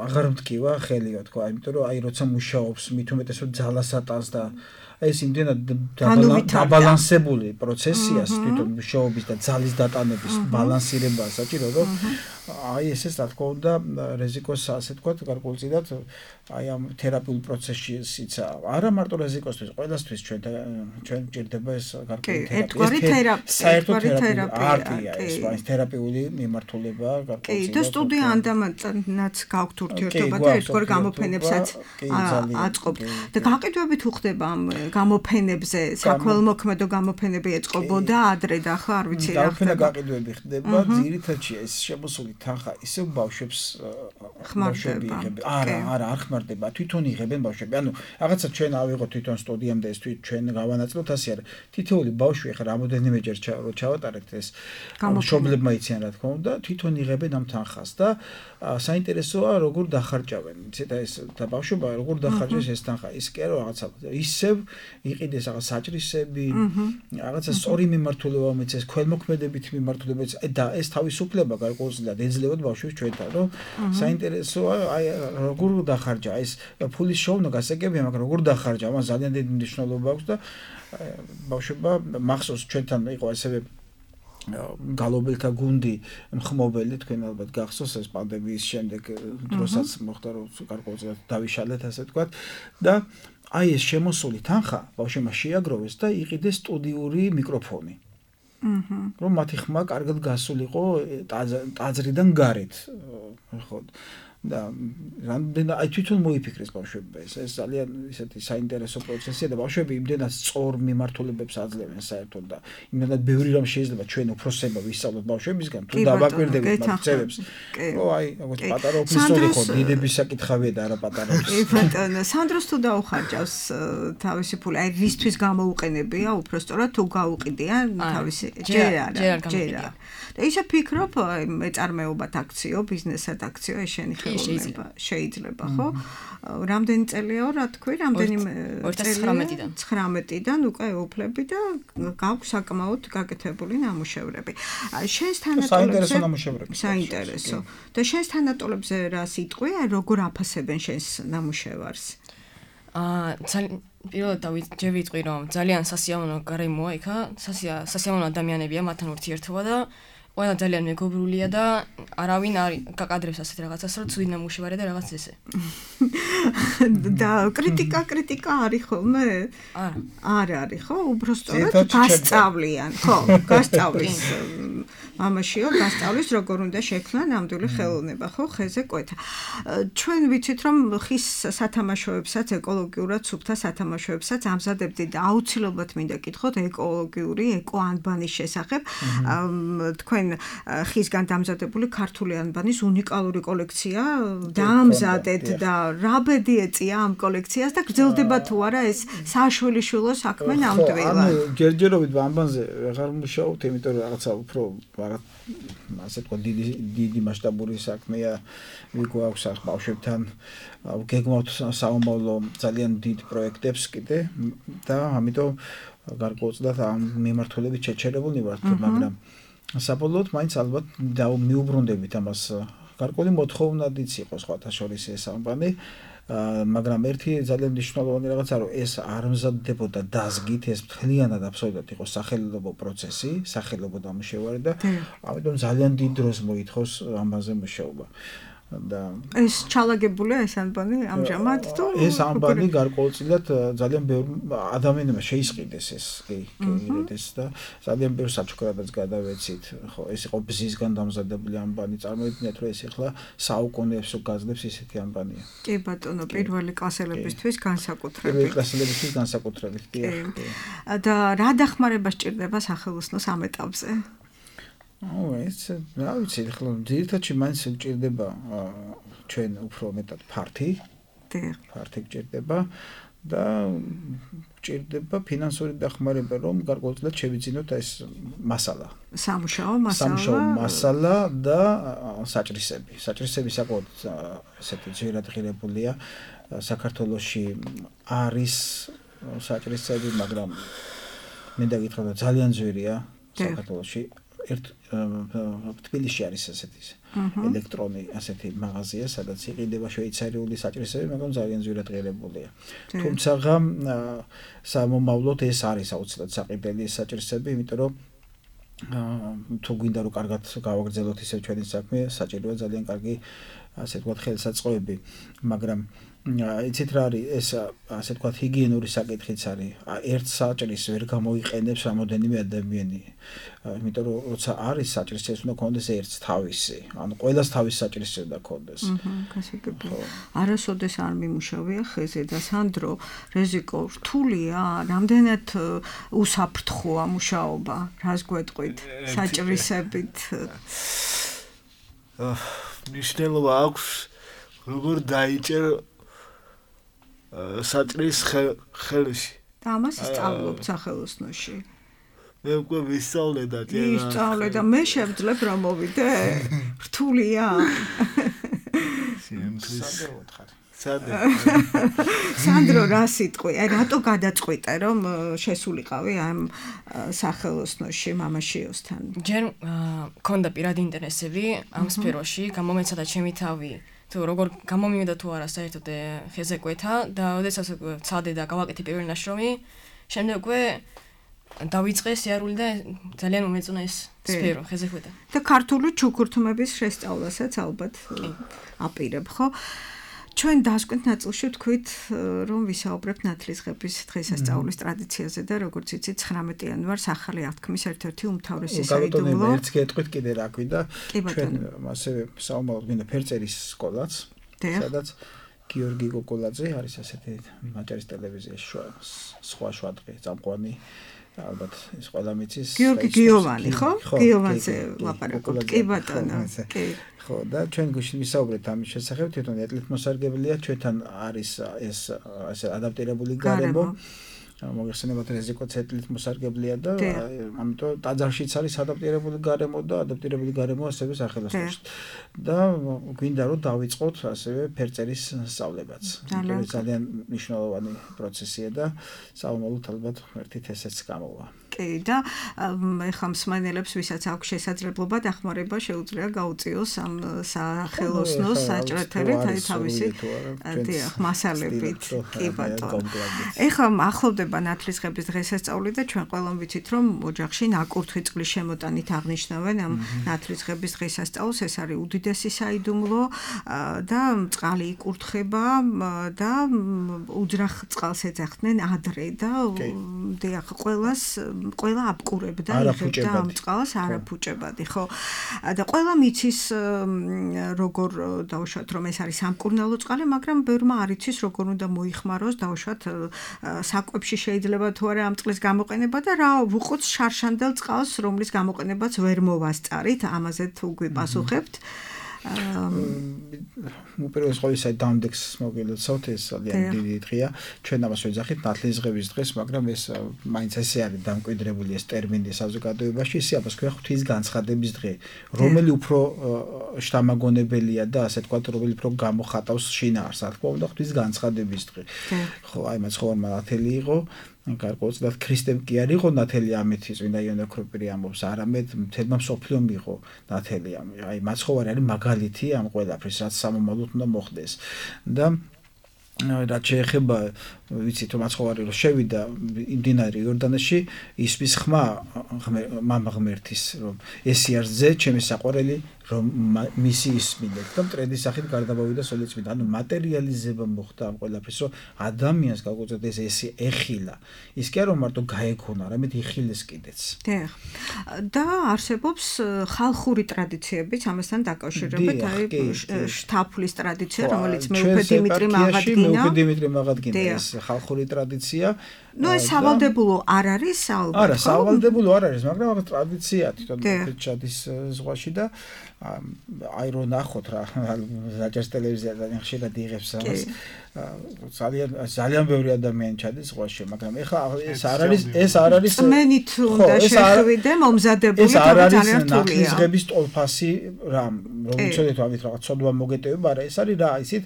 აღარ მткиვა ხელიო თქვა იმიტომ რომ აი როცა მუშაობს მით უმეტესად ძალას ატანს და ეს იმდენად დაბალანსებული პროცესია თვითონ მუშაობის და ძალის დატანების ბალანსირება საჭირო რომ აი ესეც რა თქმა უნდა რეზიკოს ასე თქვა გარკვეულწილად აი ამ თერაპიულ პროცესშიც არა მარტო რეზიკოსთვის ყველასთვის ჩვენ ჭირდება ეს გარკვეული
თერაპია
საერთო თერაპია ეს თერაპიული მიმართულება
კი
გარკვეულწილად
და სტუდია ანდამანაც გაქვთ ურთიერთობა და ერთგვარ გამოფენებსაც აწყობთ და გაყიდვებით უხდება ამ გამოფენებზე საქველმოქმედო გამოფენები ეწყობოდა ადრე და ახლა არ ვიცი რა
ხდება გაყიდვები ხდება ძირითადში ეს შემოსული თანხა ისევ ბავშვებს
ხმარდება
არა არ ხმარდება თვითონ იღებენ ბავშვები ანუ რაღაცა ჩვენ ავიღოთ თვითონ სტუდიამდე ეს ჩვენ გავანაწილოთ ასე არა თითოეული ბავშვი ახლა რამოდენიმეჯერ ჩავატარეთ ეს მშობლებმა იციან რა თქმა უნდა თვითონ იღებენ ამ თანხას და საინტერესოა როგორ დახარჯავენ იცით ეს და ბავშვობა როგორ დახარჯეს ეს თანხა ის კი არა რაღაცა ისევ იყიდეს რაღაც საჭრისები რაღაცა სწორი მიმართულება მეცეს ქველმოქმედებით მიმართულებაც და ეს თავისუფლება გარკვეულწილად ეძლევათ ბავშვებს ჩვენთან რომ საინტერესოა აი როგორ დახარჯა ეს ფულის შოვნა გასაგებია მაგრამ როგორ დახარჯა მას ძალიან დიდი მნიშვნელობა აქვს და ბავშვობა მახსოვს ჩვენთან იყო ასევე გალობელთა გუნდი მხმობელი თქვენ ალბათ გახსოვს ეს პანდემიის შემდეგ დროსაც მოხდა რომ გარკვეულწილად დავიშალეთ ასე ვთქვათ და აი ეს შემოსული თანხა ბავშვებმა შეაგროვეს და იყიდეს სტუდიური მიკროფონი. რომ მათი ხმა კარგად გასულიყო ტაძრიდან გარეთ. ხო და რამდენად აი თვითონ მოიფიქრეს ბავშვებს ეს ძალიან ისეთი საინტერესო პროცესია და ბავშვები იმდენად სწორ მიმართულებებს აძლევენ საერთოდ და იმდენად ბევრი რამ შეიძლება ჩვენ უფროსებმა ვისწავლოთ ბავშვებისგან თუ დავაკვირდებით მათ წევებს რომ აი როგორც პატარა ოფისური ხო დიდების საკითხავია და არა პატარა
კი ბატონო სანდროს თუ დაუხარჯავს თავისი ფული აი რისთვის გამოუყენებია უბრალოდ თუ გაუყიდია თავისი ჯერ არა და ისე ფიქრობ მეწარმეობად აქციო ბიზნესად აქციო ეს შენი შეიძლება ხო? რამდენი წელია რა თქვი, რამდენიმე 2019-დან უკვე ეუფლები და გაქვს საკმაოდ გაკეთებული ნამუშევრები. შენს თანატოლებზე საინტერესო. და შენს თანატოლებზე რა სიტყვია, როგორ აფასებენ შენს ნამუშევარს?
პირველად ჯერ ვიტყვი რომ ძალიან სასიამოვნო გარემოა იქა, სასიამოვნო ადამიანებია მათთან ურთიერთობა და ყველა ძალიან მეგობრულია და არავინ არ გაკადრებს ასეთ რაღაცას, რომ ცუდი ნამუშევარი და რაღაც ესე.
და კრიტიკა არის ხოლმე? არა არის ხო? უბრალოდ გასწავლიან, ხო, გასწავლის მამაშიო გასწავლის როგორ უნდა შექმნა ნამდვილი ხელოვნება, ხო, ხეზე კვეთა. ჩვენ ვიცით რომ ხის სათამაშოებსაც ეკოლოგიურად სუფთა სათამაშოებსაც ამზადებდით და აუცილებლად მინდა კითხოთ ეკოლოგიური ეკოანბანის შესახებ. თქვენ ხისგან დამზადებული ქართული ანბანის უნიკალური კოლექცია დაამზადეთ და რა ბედი ეწია ამ კოლექციას და გრძელდება თუ არა ეს საშვილიშვილო საქმე ნამდვილად.
ანუ ჯერჯერობით ანბანზე აღარ მუშაობთ, იმიტომ რომ რაღაცა უფრო ასე თქვა დიდი მასშტაბური საქმეა გვაქვს ბავშვებთან გეგმავთ საომავლო ძალიან დიდ პროექტებს კიდე და ამიტომ გარკვეულწილად ამ მიმართულებით შეჩერებულნი ვართ, მაგრამ საბოლოოდ მაინც ალბათ მიუბრუნდებით ამას გარკვეული მოთხოვნადიც იყო სხვათა შორის ეს ამბანი, მაგრამ ერთი ძალიან მნიშვნელოვანი რაღაცა რომ ეს არ მზადდებოდა დაზგით, ეს მთლიანად აბსოლუტურად იყო სახელმწიფო პროცესი, სახელმწიფო დამუშავება და ამიტომ ძალიან დიდ დროს მოითხოვს ამაზე მუშაობა. და
ეს ჩალაგებულია ეს ამბანი ამჟამად თუ
ეს ამბანი გარკვეულწილად ძალიან ბევრ ადამიანმა შეისყიდეს ეს კი ეს და ძალიან ბევრ საჩუქრადაც გადავეცით ხო ეს იყო ბზისგან დამზადებული ამბანი წარმოიდგინეთ რომ ეს ახლა საუკუნეებს გაძლებს ისეთი ამბანია
კი ბატონო პირველი კლასელებისთვის განსაკუთრებით
პირველი კლასელებისთვის განსაკუთრებით კი
და რა დახმარება სჭირდება სახელოსნოს ამ ეტაპზე
ეს რა ვიცი ახლა ძირითადად მაინც სჭირდება ჩვენ უფრო მეტად ფართი გჭირდება და გჭირდება ფინანსური დახმარება რომ გარკვეულწილად შევიძინოთ ეს მასალა
სამუშაო
მასალა და საჭრისები საკმაოდ ესეთი ძვირად ღირებულია საქართველოში არის საჭრისები მაგრამ მინდა გითხრათ რომ ძალიან ძვირია საქართველოში თბილისში არის ასეთი ელექტრონი ასეთი მაღაზია, სადაც იყიდება შვეიცარიული საჭრისები, მაგრამ ძალიან ძვირად ღირებულია. თუმცა სამომავლოდ ეს არის აუცილებლად საყიდელი საჭრისები, იმიტომ რომ თუ გვინდა რომ კარგად გავაგრძელოთ ისე ჩვენი საქმე, საჭიროა ძალიან კარგი ასე ვთქვათ ხელსაწყოები, მაგრამ იცით რა არის ეს ასე ვთქვათ ჰიგიენური საკითხიც არის. ერთ საჭრის ვერ გამოიყენებს რამოდენიმე ადამიანი. იმიტომ რომ როცა არის საჭრის ეს უნდა კონდეს ერთს თავისი. ანუ ყველას თავის საჭრის უნდა კონდეს.
გასაგებია. არასოდეს არ მიმუშავია ხეზე და სანდრო რეზიკო რთულია, რამდენად უსაფრთხოა მუშაობა, რას გვეტყვით საჭრისებით.
მნიშვნელობა აქვს როგორ დაიჭერ საჭრის ხელში.
და ამას ისწავლობთ სახელოსნოში.
მე უკვე ვისწავლე და
ისწავლე და მე შევძლებ რომ მოვიდე. რთულია. სანდრო რა სიტყვი? რატო გადაწყვიტე რომ შესულიყავი ამ სახელოსნოში მამაშიოსთან?
ჯერ მქონდა პირადი ინტერესები ამ სფეროში, გამომეცადა ჩემი თავი. თუ როგორ გამომივიდა თუ არა საერთოდ ხეზე კვეთა და ოდესაც ვცადე და გავაკეთე პირველი ნაშრომი, შემდეგ უკვე დავიწყე სიარული და ძალიან მომეწონა ეს სფერო ხეზე კვეთა.
და ქართული ჩუქურთმების შესწავლასაც ალბათ აპირებ, ხო? ჩვენ დასკვეთ ნაწილში ვთქვით, რომ ვისაუბრებთ ნათლისღების დღესასწაულის ტრადიციაზე და როგორც იცით 19 იანვარს ახალი აღთქმის ერთ-ერთი უმთავრესი საიდუმლო.
ერთს გეტყვით კიდე რა ქვი და ჩვენ ასევე საომალოდ მინდა ფერწერის სკოლაც, სადაც გიორგი გოგოლაძე არის ასეთი მაჭარის ტელევიზიაში სხვა შუადღე წამყვანი ალბათ ის ყველა მიცის
გიორგი გიოვანი ხო? გიოვანზე ლაპარაკობთ. კი ბატონო. კი.
ხო და ჩვენ გუშინ ვისაუბრეთ ამის შესახებ, თვითონ ეთნოსარგებლია ჩვენთან არის ეს ასე ადაპტირებული გარემო. მოგეხსენებათ რეზიკოც ეთნოსარგებლია და ამიტომ ტაძარშიც არის ადაპტირებული გარემო და ადაპტირებული გარემო ასევე სახელოსნოში. და გვინდა რომ დავიწყოთ ასევე ფერწერის სწავლებაც. ძალიან მნიშვნელოვანი პროცესია და საომალოდ ალბათ ერთით ესეც გამოვა.
კი და ეხლა მსმენელებს ვისაც აქვს შესაძლებლობა დახმარება შეუძლია გაუწიოს ამ სახელოსნოს საჭრეთებით აი თავისი დიახ მასალებით კი ბატონო ეხლა ახლოვდება ნათლისღების დღესასწაული და ჩვენ ყველამ ვიცით რომ ოჯახში ნაკურთხი წყლის შემოტანით აღნიშნავენ ამ ნათლისღების დღესასწაულს ეს არის უდიდესი საიდუმლო და წყალი იკურთხება და უძრახ წყალს ეძახდნენ ადრე და დიახ ყველა აბკურებდა იღებდა ამ წყალს არაფუჭებადი ხო და ყველა მიცის როგორ დავუშვათ რომ ეს არის სამკურნალო წყალი მაგრამ ბევრმა არ იცის როგორ უნდა მოიხმაროს დავუშვათ საკვებში შეიძლება თუ არა ამ წყლის გამოყენება და რა ვუყოთ შარშანდელ წყალს რომლის გამოყენებაც ვერ მოვასწარით ამაზე თუ გვიპასუხებთ
უპირველეს ყოვლისა დამდეგს მოგილოცავთ ეს ძალიან დიდი დღეა ჩვენ ამას ვეძახით ნათლისღების დღეს მაგრამ ეს მაინც ესე არის დამკვიდრებული ეს ტერმინი საზოგადოებაში ისე ამას ქვია ღვთის განცხადების დღე რომელი უფრო შთამაგონებელია და ასე თქვა რომელი უფრო გამოხატავს შინაარსს რა თქმა უნდა ღვთის განცხადების დღე ხო აი მაცხოვარმა ათელი იყო გარკვეულწილად ქრისტემ კი არ იყო ნათელი ამეთი წმინდა იონე ოქროპირი ამბობს, არამედ მთელმა მსოფლიომ იყო ნათელი აი მაცხოვარი არის მაგალითი ამ ყველაფრის, რაც სამომავლოდ უნდა მოხდეს და რაც შეეხება ვიცით რომ მაცხოვარი რო შევიდა იმდინარი იორდანეში ისმის ხმა მამა ღმერთის რომ ესი არ ძე ჩემი საყვარელი რომ მისი ისმინეთ და მტრედის სახით გარდაბავიდა სოლეცმით ანუ მატერიალიზება მოხდა ამ ყველაფრის რომ ადამიანს გაუწევთ ეს ესი ეხილა ის კი არ რომ მარტო გაეკონა არამედ იხილეს კიდეც
და არსებობს ხალხური ტრადიციებიც ამასთან დაკავშირებით აი შთაფლის ტრადიცია რომელიც მეუფე დიმიტრი მაღადგინა
ეს ხალხური ტრადიცია
ნუ ეს სავალდებულო არ არის ალბათ
არა სავალდებულო არ არის მაგრამ რაღაც ტრადიცია თვითონ ჩადის ზღვაში და აი რო ნახოთ რა რაჭის ტელევიზია ხშირად იღებს ამას ძალიან ბევრი ადამიანი ჩადის ზღვაში მაგრამ ეხლა ეს არ არის
მენით უნდა შეხვიდე მომზადებული
ეს არ არის ნათლისღების ტოლფასი რა რომ ვიცოდეთ ამით რაღაც ცოდვა მოგეტევება არა ეს არის რა ისეთ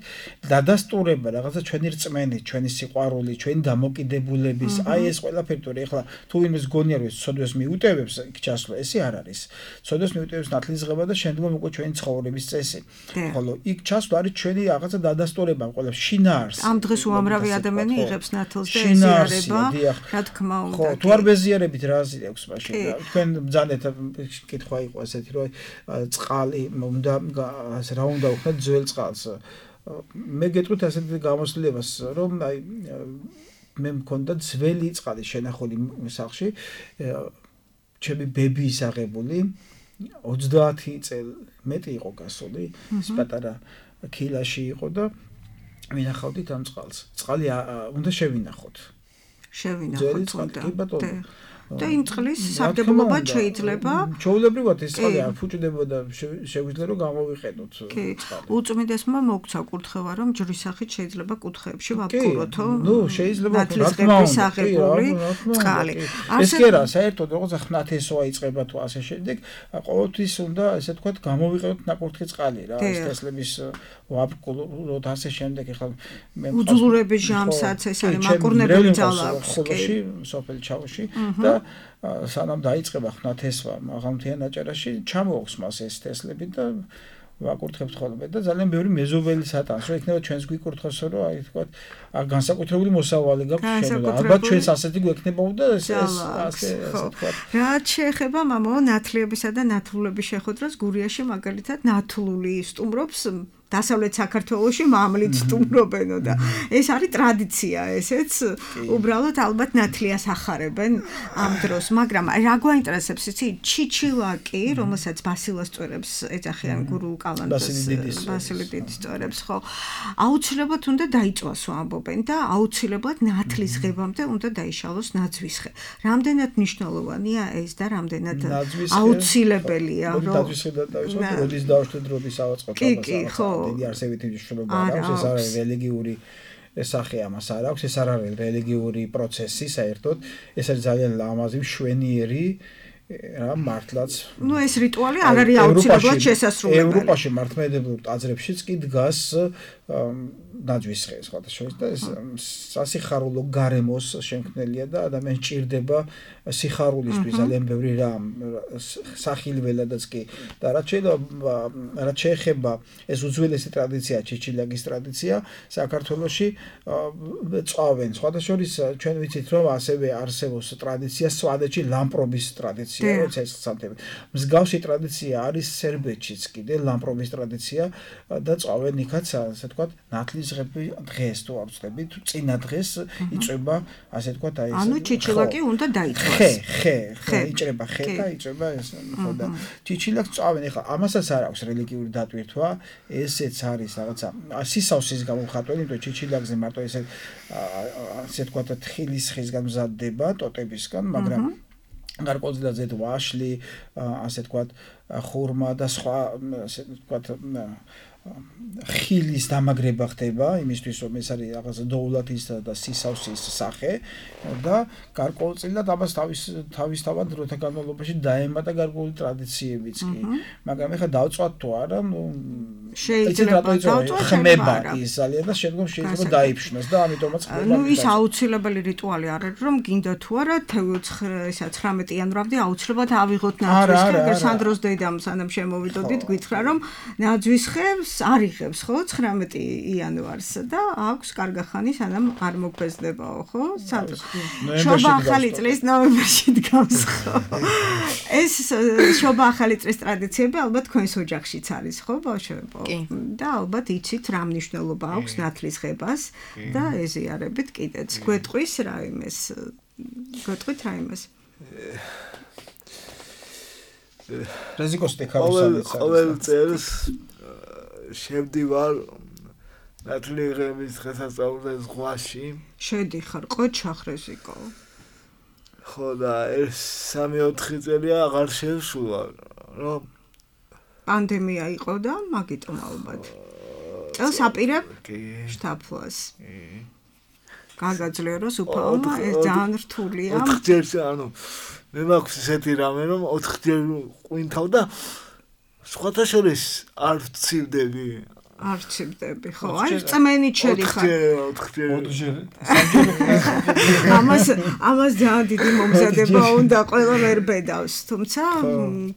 დადასტურება რაღაცა ჩვენი რწმენით ჩვენი სიყვარული ჩვენი დამოკიდებულების აი ეს ყველაფერი თორე ეხლა თუ ვინმეს გონია რომ ეს ცოდვას მიუტევებს იქ ჩასვლა ესე არ არის ცოდვას მიუტევებს ნათლისღება და შემდგომ უკვე ჩვენი ცხოვრების წესი ხოლო იქ ჩასვლა არის ჩვენი რაღაცა დადასტურება ყველაფერს შინაარსი
ამ დღეს უამრავი ადამიანი იღებს ნათლს და ეზიარება რა თქმა უნდა
ხო თუ არ ბეზიარებით რა აზრი აქვს მაშინ თქვენ ბძანეთ კითხვა იყო ესეთი რომ წყალი უნდა რა უნდა უხდეთ ძველ წყალს მე გეტყვით ასეთი გამოსვლებას რომ აი მე მქონდა ძველი წყალი შენახული სახლში ჩემი ბებიის აღებული 30 წელი მეტი იყო გასული ის პატარა ქილაში იყო და ვინახავდით ამ წყალს წყალი უნდა შევინახოთ
კი ბატონო და იმ წყლის სარგებლობა შეიძლება
ჩაულებრივად ეს წყალი არ ფუჭდებოდა შეგვიძლია რომ გამოვიყენოთ
წყალი უწმიდესმა მოგცა კურთხევა რომ ჯვრის სახით შეიძლება კუთხეებში ვაბკუროთო
ნუ შეიძლება
ნათლისღების აღებული წყალი
ეს კი არა საერთოდ როგორც ხნათესოა იწყება თუ ასე შემდეგ ყოველთვის უნდა ესე თქვა გამოვიყენოთ ნაკურთხი წყალი რა ეს თესლების ვაბკუროთ ასე შემდეგ ახლა
მე უძულურების ჟამსაც ეს არის მაკურნებელი ძალა აქვს
ხოლოში სოფელ ჩაოში და სანამ დაიწყება ხნათესვა მაღალმთიან აჭარაში ჩამოაქვს მას ეს თესლები და ვაკურთხებთ ხოლმე და ძალიან ბევრი მეზობელი სატანს რომ იქნება ჩვენს გვიკურთხოს რომ აი თქვა განსაკუთრებული მოსავალი გაქვს შენ ალბათ ჩვენს ასეთი გვექნებოდა ეს ასე თქვა
რაც შეეხება მამაო ნათლიებისა და ნათლულების შეხვედრას გურიაში მაგალითად ნათლული სტუმრობს დასავლეთ საქართველოში მამლით სტუმრობენო და ეს არის ტრადიცია ესეც უბრალოდ ალბათ ნათლიას ახარებენ ამ დროს მაგრამ რა გვაინტერესებს იცი ჩიჩილაკი რომელსაც ბასილას წვერებს ეძახიან გურუ კალანდას ბასილი დიდის წვერებს ხო აუცილებლად უნდა დაიწვასო ამბობენ და აუცილებლად ნათლის ღებამდე უნდა დაიშალოს ნაძვისხე რამდენად მნიშვნელოვანია ეს და რამდენად აუცილებელია
რომ ნაძვისხედან დავისვათ როდის დავშვით როდის ავაწყოთ
ხო
დიდი არსებითი მნიშვნელობა აქვს ეს არის რელიგიური სახე ამას არ აქვს ეს არ არის რელიგიური პროცესი საერთოდ ეს არის ძალიან ლამაზი მშვენიერი რა მართლაც
ნუ ეს რიტუალი არ არის აუცილებლად შესასრულებელი
ევროპაში მართლმადიდებლურ ტაძრებშიც კი დგას ნაძვისხე სხვათა შორის და ეს სასიხარულო გარემოს შემქმნელია და ადამიანს ჭირდება სიხარულისთვის ძალიან ბევრი რამ სახილველადაც კი და რაც შეეხება ეს უძველესი ტრადიცია ჩიჩილაკის ტრადიცია საქართველოში წავენ სხვათა შორის ჩვენ ვიცით რომ ასევე არსებობს ტრადიცია სვადეთში ლამპრობის ტრადიცია როცა ეს ხსამთები მსგავსი ტრადიცია არის სერბეთშიც კიდე ლამპრობის ტრადიცია და წავენ იქაც ასე თქვა ნათლის დღეს თუ ავწდებით წინა დღეს იწება ასე თქვა აი ეს
ანუ ჩიჩილაკი უნდა დაიწყოს
ხე იჭრება ხე და იჭრება ეს ხო და ჩიჩილაკს წავენ ეხლა ამასაც არ აქვს რელიგიური დატვირთვა ესეც არის რაღაცა სისავსის გამოხატველი იმიტომ ჩიჩილაკზე მარტო ასე თქვა თხილის ხისგან მზადდება ტოტებისგან მაგრამ გარკვეულწილად ზედ ვაშლი ასე თქვა ხურმა და სხვა ასე თქვა ხილის დამაგრება ხდება იმისთვის რომ ეს არის რაღაც დოულათის და სისავსის სახე და გარკვეულწილად ამას თავისთავად დროთა განმავლობაში დაემატა გარკვეული ტრადიციებიც კი მაგრამ ეხლა დავწვათ თუ არა
შეიძლება
დავწვა ხმება ის ძალიან და შემდგომ შეიძლება დაიფშნას და ამიტომაც
ხმება. ის აუცილებელი რიტუალი არ არის რომ გინდა თუ არა 19 იანვრამდე აუცილებლად ავიღოთ ნაძვის ხე, ეგრე სანდროს დედამ სანამ შემოვიდოდით გითხრა რომ ნაძვის ხებს არ იღებს ხო 19 იანვარს და აქვს კარგახანი სანამ არ მოგფესდებაო ხო? სანდროს. შობა ახალი წლის ნოემბერში დგას ხო? ეს შობა ახალი წლის ტრადიციები ალბათ თქვენს ოჯახშიც არის ხო ბავშვებო? და ალბათ იცით რა მნიშვნელობა აქვს ნათლის ღებას და ეზიარებით კიდეც. გვეტყვის რა იმეს? გვეტყვით რა იმეს?
რეზიკოსტი ხავსალიც.
ყოველ წელს შევდივარ ნათლი ღების დღესასწაულზე ზღვაში.
შედიხარ ყოჩახ რეზიკო.
ხო და ეს 3-4 წელია აღარ შევსულა რომ
პანდემია იყო და მაგიტომ ალბათ. წელს აპირებ შთაფლას. გაგაძლიეროს უფალმა ეს ძალიან რთულია.
4 ჯერ ანუ მე მაქვს ესეთი რამე რომ 4 ჯერ ყვინთავ და სხვათა შორის არ ვცივდები.
არჩევდები ხო? აი წმენით შედიხარ.
4 ჯერ.
ამას ძალიან დიდი მომზადება უნდა ყველა ვერ ბედავს. თუმცა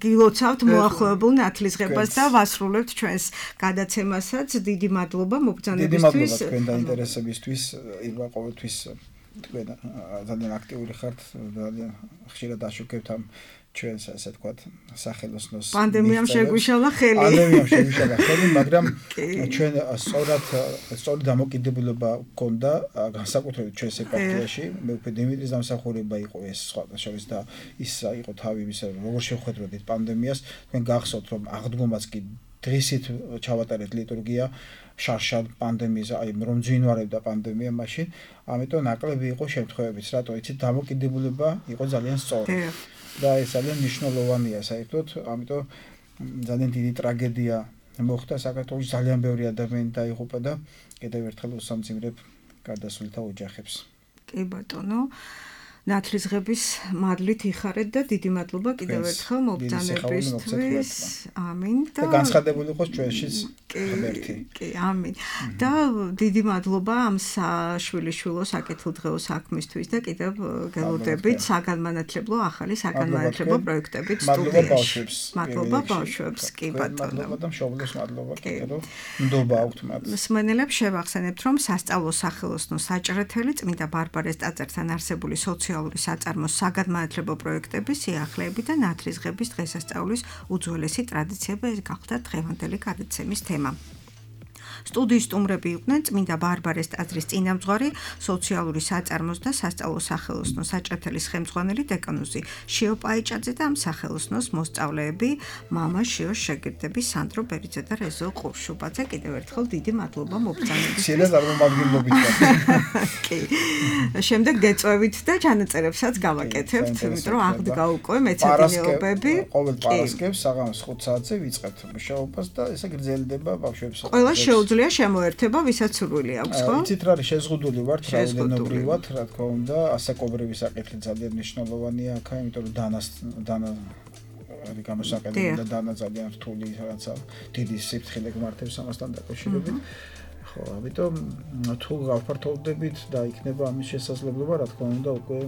გილოცავთ მოახლოებულ ნათლისღებას და ვასრულებთ ჩვენს გადაცემასაც. დიდი მადლობა მობრძანებისთვის.
დიდი მადლობა თქვენ დაინტერესებისთვის. ირმა ყოველთვის თქვენ ძალიან აქტიური ხართ. ძალიან ხშირად აშუქებთ ამ ჩვენს ასე ვთქვათ სახელოსნოს
პანდემიამ შეგვიშალა ხელი.
პანდემიამ შეგვიშალა ხელი, მაგრამ ჩვენ სწორი დამოკიდებულება გქონდა განსაკუთრებით ჩვენს ეპარქიაში. მეუფე დიმიტრის დამსახურება იყო ეს სხვათა შორის და ის იყო თავი ისე როგორ შევხედროდით პანდემიას. თქვენ გახსოვთ რომ აღდგომაც კი დღისით ჩავატარეთ ლიტურგია შარშან პანდემიის აი რომ ძინვარებდა პანდემია მაშინ. ამიტომ ნაკლები იყო შემთხვევებიც, რატო იცით დამოკიდებულება იყო ძალიან სწორი. და ეს ძალიან მნიშვნელოვანია საერთოდ, ამიტომ ძალიან დიდი ტრაგედია მოხდა საქართველოს, ძალიან ბევრი ადამიანი დაიღუპა და კიდევ ერთხელ უსამძიმრებ გარდაცვლილთა ოჯახებს.
კი ბატონო, ნათლისღების მადლით იხარეთ და დიდი მადლობა კიდევ ერთხელ მობრძანებისთვის. ამინ
და განცხადებული იყოს ჩვენშიც ღმერთი.
კი, ამინ. და დიდი მადლობა ამ შვილიშვილო საკითხილდღეო საქმისთვის და კიდევ გელოდებით საგანმანათლებლო ახალი საგანმანათლებლო პროექტებით სტუდიაში. მადლობა ბავშვებს. კი ბატონო.
მადლობა და მშობლებს მადლობა კიდევ რომ ნდობა აქვთ მათ.
მსმენელებს შევახსენებთ რომ სასწავლო სახელოსნო საჭრეთელი წმინდა ბარბარეს ტაძართან არსებული სოციალური საწარმოს საგანმანათლებლო პროექტების სიახლეები და ნათლისღების დღესასწაულის უძველესი ტრადიციები ეს გახდა დღევანდელი გადაცემის თემა. სტუდიის სტუმრები იყვნენ წმინდა ბარბარეს ტაძრის წინამძღვარი, სოციალური საწარმოს და სასწავლო სახელოსნო საჭრეთელის ხელმძღვანელი დეკანოზი შიო პაიჭაძე და ამ სახელოსნოს მოსწავლეები, მამა შიოს შეგირდები სანდრო ბერიძე და რეზო ყურშუბაძე. კიდევ ერთხელ დიდი მადლობა მობრძანებისთვის.
შეიძლება წარმომადგენლობით.
კი. შემდეგ გეწვევით და ჩანაწერებსაც გავაკეთებთ, იმიტომ რომ აღდგა უკვე მეცადინეობები.
ყოველ პარასკევს საღამოს 5 საათზე ვიწყებთ მუშაობას და ესე გრძელდება ბავშვებს.
ყველა შეუძლია შემოერთება, ვისაც სურვილი აქვს, ხო?
იცით რა არის, შეზღუდული ვართ, რაოდენობრივად, რა თქმა უნდა, ასაკობრივი საკითხი ძალიან მნიშვნელოვანია აქ, იმიტომ რომ დანა არის გამოსაყენებელი და დანა ძალიან რთული რაღაცა, დიდი სიფრთხილე გმართებს ამასთან დაკავშირებით. ხო, ამიტომ თუ გავფართოვდებით და იქნება ამის შესაძლებლობა, რა თქმა უნდა, უკვე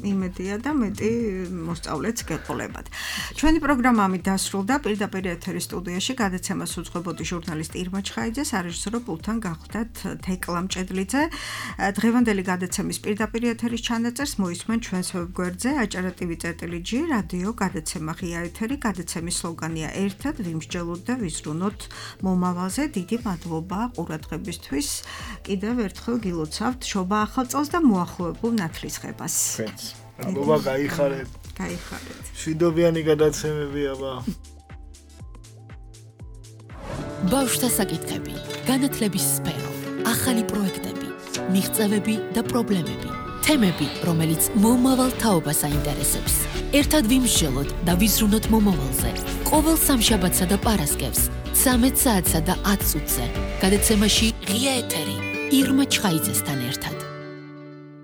იმედია და მეტი მოსწავლეც გეყოლებათ. ჩვენი პროგრამა ამით დასრულდა. პირდაპირ ეთერის სტუდიაში გადაცემას უძღვებოდი ჟურნალისტი ირმა ჩხაიძე, სარეჟისორო პულტთან გახდათ თეკლა მჭედლიძე. დღევანდელი გადაცემის პირდაპირ ეთერის ჩანაწერს მოისმენ ჩვენს ვებგვერდზე acara.tv.gr რადიო გადაცემა ღია ეთერი. გადაცემის სლოგანია ერთად ვიმსჯელოთ და ვიზრუნოთ მომავალზე. დიდი მადლობა ყურადღებისთვის. კიდევ ერთხელ გილოცავთ შობა ახალ წელს და მოახლოებულ ნათლისღებას.
მადლობა, გაიხარეთ.
გაიხარეთ.
შვიდობიანი გადაცემები აბა.
ბავშვთა საკითხები, განათლების სფერო, ახალი პროექტები, მიღწევები და პრობლემები. თემები, რომელიც მომავალ თაობას აინტერესებს. ერთად ვიმსჯელოთ და ვიზრუნოთ მომავალზე. ყოველ სამშაბათსა და პარასკევს 13 საათსა და 10 წუთზე. გადაცემაში ღია ეთერი ირმა ჩხაიძესთან ერთად.